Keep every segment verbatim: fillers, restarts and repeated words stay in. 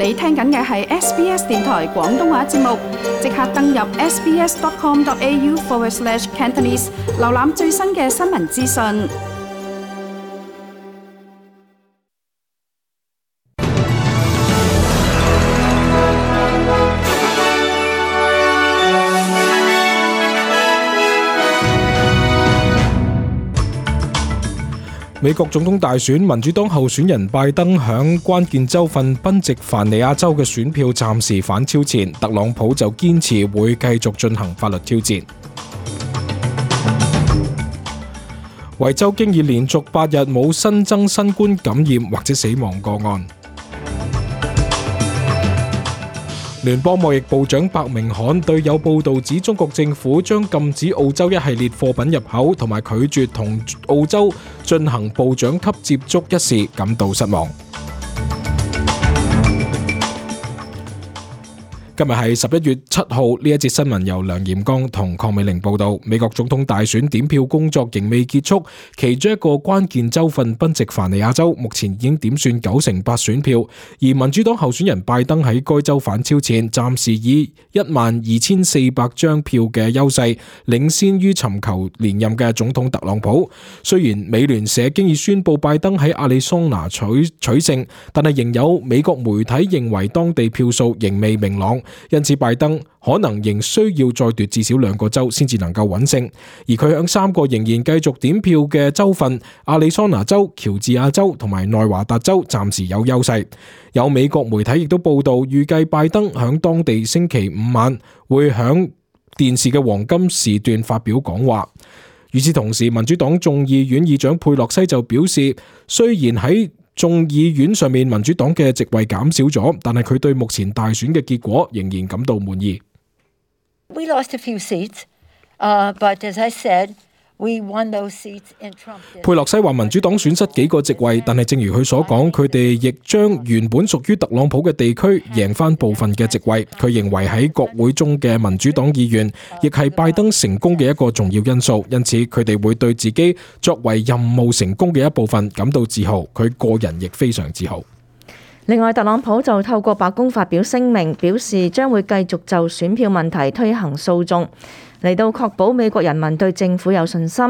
你聽緊嘅係 S B S 電台廣東話節目，即刻登入 sbs.com.au forward slash Cantonese， 瀏覽最新嘅新聞資訊。美國總統大選，民主黨候選人拜登響關鍵州份賓夕凡尼亞州嘅選票暫時反超前，特朗普就堅持會繼續進行法律挑戰。維州經已連續八日冇新增新冠感染或者死亡個案。聯邦貿易部長白明翰對有報道指中國政府將禁止澳洲一系列貨品入口同埋拒絕同澳洲進行部長級接觸一事感到失望。今日係十一月七號，呢一節新聞由梁炎剛同鄺美玲報道。美國總統大選點票工作仍未結束，其中一個關鍵州份賓夕凡尼亞州目前已經點算九成八選票，而民主黨候選人拜登喺該州反超前，暫時以一萬二千四百張票嘅優勢領先於尋求連任嘅總統特朗普。雖然美聯社經已宣布拜登喺亞利桑那取取勝，但係仍有美國媒體認為當地票數仍未明朗。因此拜登可能仍需要再奪至少兩個州先至能夠穩勝，而佢響三個仍然繼續點票嘅州份亞利桑那州、喬治亞州同埋內華達州暫時有優勢。有美國媒體亦都報道，預計拜登響當地星期五晚會響電視嘅黃金時段發表講話。與此同時，民主黨眾議院議長佩洛西就表示，雖然喺眾議院上面民主黨嘅席位減少咗，但係佢對目前大選嘅結果仍然感到滿意。We lost a few seats, uh, but as I said, we won those seats in Trump. 佩洛西話民主黨損失幾個席位，但係正如佢所講，佢哋亦將原本屬於特朗普嘅地區贏翻部分嘅席位。佢認為喺國會中嘅民主黨議員亦係拜登成功嘅一個重要因素，因此佢哋會對自己作為任務成功嘅一部分感到自豪，佢個人亦非常自豪。另外，特朗普就透過白宮發表聲明，表示將會繼續就選票問題推行訴訟，嚟到確保美國人民對政府有信心。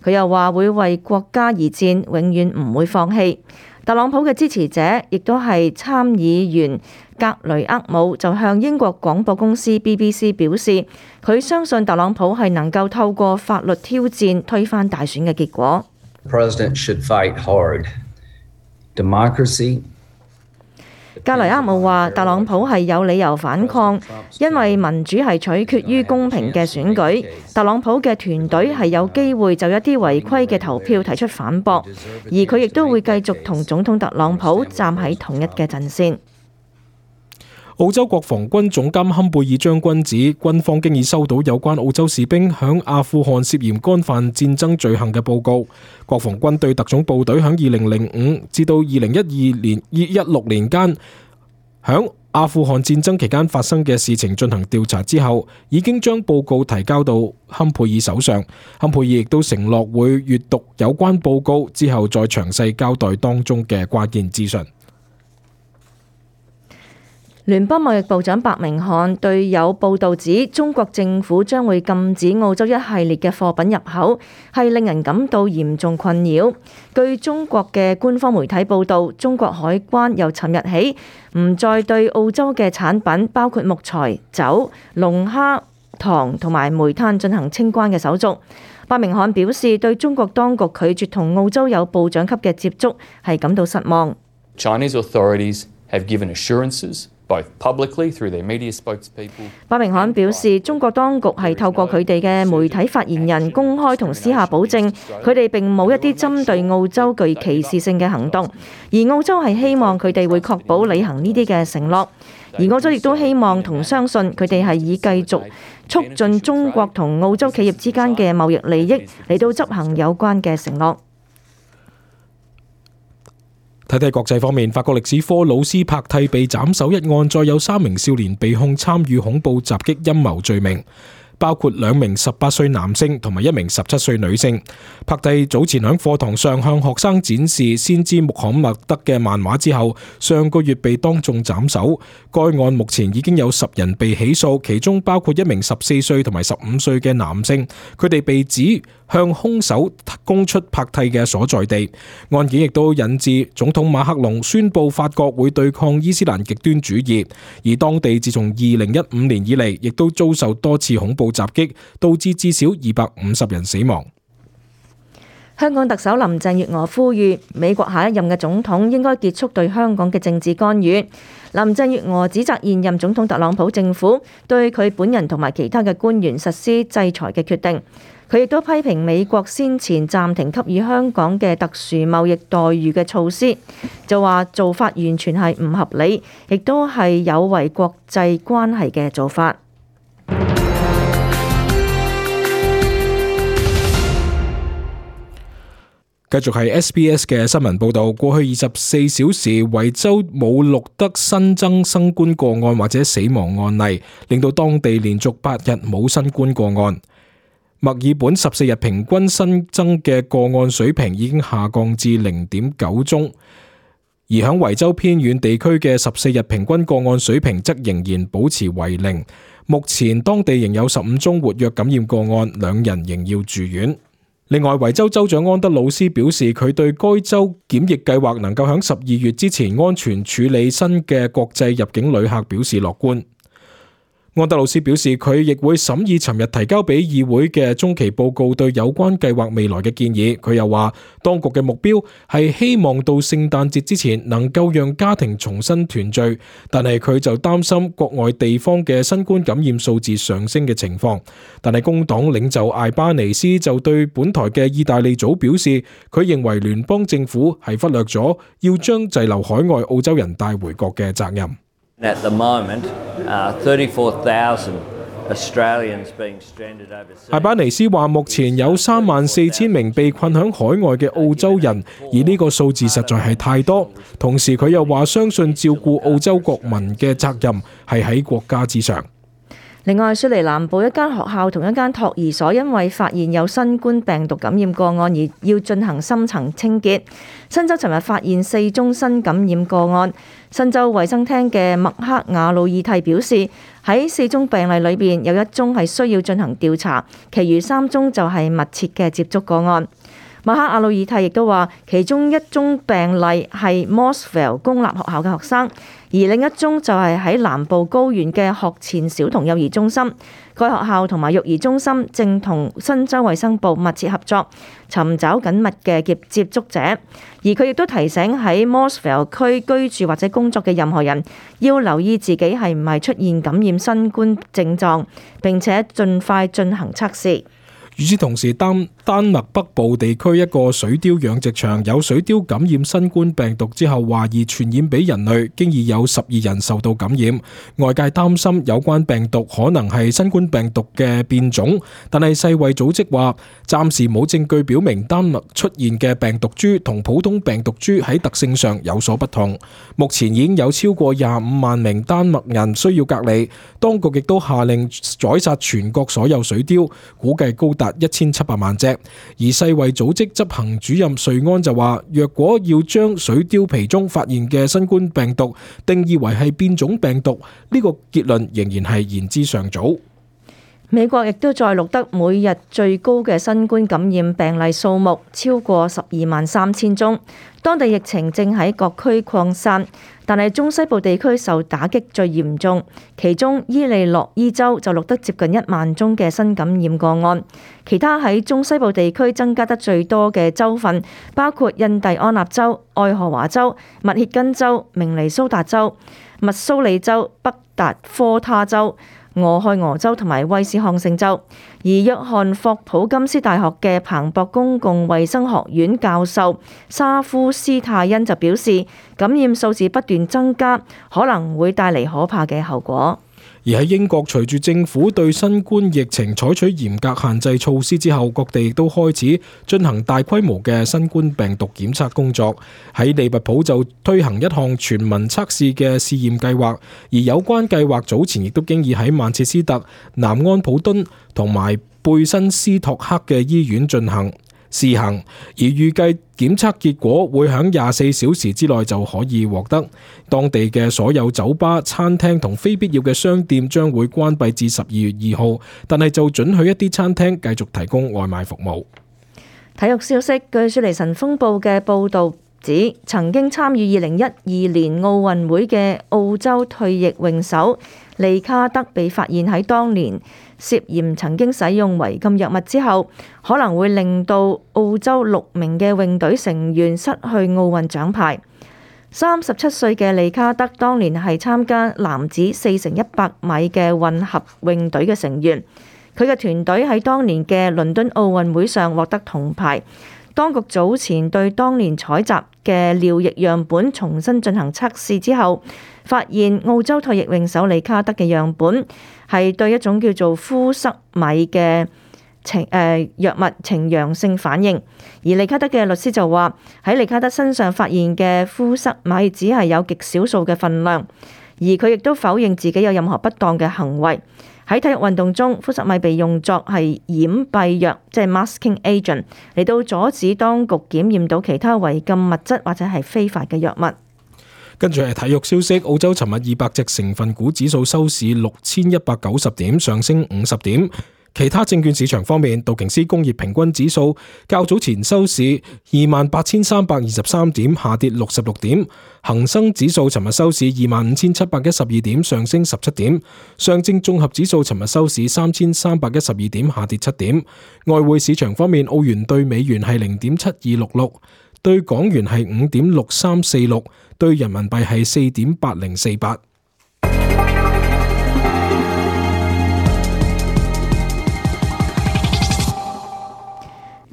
佢又話會為國家而戰，永遠唔會放棄。特朗普嘅支持者亦都係參議員格雷厄姆就向英國廣播公司 B B C 表示，佢相信特朗普係能夠透過法律挑戰推翻大選嘅結果。The president should fight hard. Democracy. 格雷厄姆話特朗普係有理由反抗，因為民主係取決於公平嘅選舉。特朗普嘅團隊係有機會就一啲違規嘅投票提出反駁，而佢亦都會繼續同總統特朗普站喺同一嘅陣線。澳洲國防軍總監坎貝爾將軍指，軍方經已收到有關澳洲士兵響阿富汗涉嫌干犯戰爭罪行嘅報告。國防軍對特種部隊響二零零五至到二零一二年一六年間響阿富汗戰爭期間發生嘅事情進行調查之後，已經將報告提交到坎貝爾手上。坎貝爾亦都承諾會閱讀有關報告之後再詳細交代當中嘅關鍵資訊。聯邦貿易部長白明翰對有報道指中國政府將會禁止澳洲一系列嘅貨品入口，係令人感到嚴重困擾。據中國嘅官方媒體報道，中國海關由尋日起唔再對澳洲嘅產品，包括木材、酒、龍蝦、糖同埋煤炭進行清關嘅手續。白明翰表示，對中國當局拒絕同澳洲有部長級嘅接觸係感到失望。Chinese authorities have given assurances both publicly through their media spokespeople. 白明翰表示，中國當局係透過佢哋嘅媒體發言人公開同私下保證，佢哋並冇一啲針對澳洲具歧視性嘅行動，而澳洲係希望佢哋會確保履行呢啲嘅承諾，而澳洲亦都希望同相信佢哋係以繼續促進中國同澳洲企業之間嘅貿易利益嚟到執行有關嘅承諾。睇睇國際方面，法國歷史科老師帕蒂被斬首一案，再有三名少年被控參與恐怖襲擊陰謀罪名。包括兩名十八歲男性同埋一名十七歲女性。帕蒂早前喺課堂上向學生展示先知穆罕默德嘅漫畫之後，上個月被當眾斬首。該案目前已經有十人被起訴，其中包括一名十四歲同埋十五歲嘅男性，佢哋被指向兇手供出帕蒂嘅所在地。案件亦都引致總統馬克龍宣布法國會對抗伊斯蘭極端主義，而當地自從二零一五年以嚟，亦都遭受多次恐怖襲擊，導致至少二百五十人死亡。香港特首林鄭月娥呼籲美國下一任嘅總統應該結束對香港嘅政治干預。林鄭月娥指責現任總統特朗普政府對佢本人同埋其他嘅官員實施制裁嘅決定。佢亦都批評美國先前暫停給予香港嘅特殊貿易待遇嘅措施，就話做法完全係唔合理，亦都係有違國際關係嘅做法。繼續係 S B S 嘅新聞報導，過去二十四小時維州冇錄得新增新冠個案或者死亡案例，令到當地連續八日冇新冠個案。墨爾本十四日平均新增嘅個案水平已經下降至零點九宗，而響維州偏遠地區嘅十四日平均個案水平則仍然保持為零。目前當地仍有十五宗活躍感染個案，兩人仍要住院。另外，維州州長安德魯斯表示，佢對該州檢疫計劃能夠響十二月之前安全處理新嘅國際入境旅客表示樂觀。安德魯斯表示，佢亦會審議尋日提交俾議會嘅中期報告對有關計劃未來嘅建議。佢又話，當局嘅目標係希望到聖誕節之前能夠讓家庭重新團聚，但係佢就擔心國外地方嘅新冠感染數字上升嘅情況。但係工黨領袖艾巴尼斯就對本台嘅意大利組表示，佢認為聯邦政府係忽略咗要將滯留海外澳洲人帶回國嘅責任。At the moment, uh, thirty-four thousand Australians being stranded overseas. 艾巴尼斯話，目前有三萬四千名被困響海外嘅澳洲人，而呢個數字實在係太多。同時佢又話，相信照顧澳洲國民嘅責任係喺國家之上。另外，雪梨南部一間學校同一間托兒所因為發現有新冠病毒感染個案而要進行深層清潔。新州尋日發現四宗新感染個案。新州衛生廳嘅麥克亞魯爾蒂表示，喺四宗病例裏邊有一宗係需要進行調查，其餘三宗就係密切嘅接觸個案。麥克亞魯爾蒂亦都話，其中一宗病例係 Mossville 公立學校嘅學生，而另一宗就係喺南部高原嘅學前小童幼兒中心。該學校同埋育兒中心正同新州衛生部密切合作，尋找緊密嘅接接觸者。而佢亦都提醒喺 Mossville 區居住或者工作嘅任何人，要留意自己係唔係出現感染新冠症狀，並且盡快進行測試。與此同時，丹丹麥北部地區一個水貂養殖場有水貂感染新冠病毒之後，懷疑傳染俾人類，經已有十二人受到感染。外界擔心有關病毒可能係新冠病毒嘅變種，但係世衛組織話暫時冇證據表明丹麥出現嘅病毒株同普通病毒株喺特性上有所不同。目前已經有超過廿五萬名丹麥人需要隔離，當局亦都下令宰殺全國所有水貂，估計高達一千七百萬隻。而世衛組織執行主任瑞安就話，若果要將水貂皮中發現嘅新冠病毒定義為係變種病毒，呢個結論仍然係言之尚早。美國亦都再錄得每日最高嘅新冠感染病例數目，超過十二萬三千宗。當地疫情正喺各區擴散，但係中西部地區受打擊最嚴重，其中伊利諾伊州就錄得接近一萬宗嘅新感染個案。其他喺中西部地區增加得最多嘅州份包括印第安納州、愛荷華州、密歇根州、明尼蘇達州、密蘇里州、北達科他州、俄亥俄州同埋威斯康星州。而約翰霍普金斯大學嘅彭博公共衛生學院教授沙夫斯泰恩就表示，感染數字不斷增加，可能會帶嚟可怕嘅後果。而喺英國，隨住政府對新冠疫情採取嚴格限制措施之後，各地亦都開始進行大規模嘅新冠病毒檢測工作。喺利物浦就推行一項全民測試嘅試驗計劃，而有關計劃早前亦都經已喺曼徹斯特、南安普敦同埋貝辛斯托克嘅醫院進行試行，而預計檢測結果會喺廿四小時之內就可以獲得。當地嘅所有酒吧、餐廳同非必要嘅商店將會關閉至十二月二號，但係就准許一啲餐廳繼續提供外賣服務。體育消息，據雪梨晨鋒報嘅報導指，曾經參與二零一二年奧運會嘅澳洲退役泳手利卡德被發現喺當年涉嫌曾經使用違禁藥物之後，可能會令到澳洲六名嘅泳隊成員失去奧運獎牌。三十七歲嘅利卡德當年係參加男子四乘一百米嘅混合泳隊嘅成員，佢嘅團隊喺當年嘅倫敦奧運會上獲得銅牌。當局早前對當年採集嘅尿液樣本重新進行測試之後，發現澳洲退役泳手利卡德嘅樣本係對一種叫做呋塞米嘅呈誒藥物呈陽性反應。而利卡德嘅律師就話，喺利卡德身上發現嘅呋塞米只係有極少數嘅份量，而佢亦都否認自己有任何不當嘅行為。喺體育運動中，呋塞米被用作係掩蔽藥，即係 masking agent， 嚟到阻止當局檢驗到其他違禁物質或者係非法嘅藥物。跟住係體育消息，澳洲尋日二百隻成分股指數收市六千一百九十點，上升五十點。其他證券市場方面，道瓊斯工業平均指數較早前收市二萬八千三百二十三點，下跌六十六點。恒生指數尋日收市二萬五千七百一十二點，上升十七點。上證綜合指數尋日收市三千三百一十二點，下跌七點。外匯市場方面，澳元對美元係零點七二六六，對港元係五點六三四六，對人民幣係四點八零四八。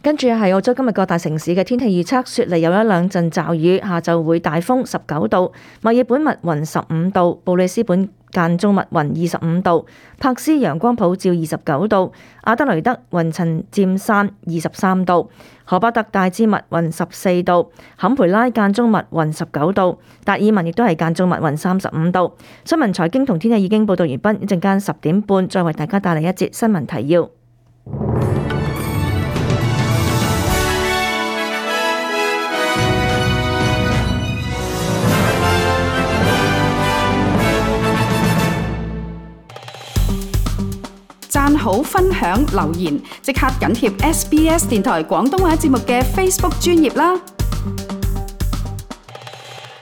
跟住係澳洲今日各大城市嘅天氣預測，雪梨有一兩陣驟雨，下晝會大風，十九度；墨爾本密雲十五度；布里斯本間中密雲二十五度；柏斯陽光普照二十九度；阿德雷德雲層漸散二十三度；荷巴特大致密雲十四度；坎培拉間中密雲十九度；達爾文亦都係間中密雲三十五度。新聞財經同天氣已經報道完畢，一陣間十點半再為大家帶嚟一節新聞提要。讚好、分享、留言，即刻緊貼 S B S 電台廣東話節目嘅 Facebook 專頁啦！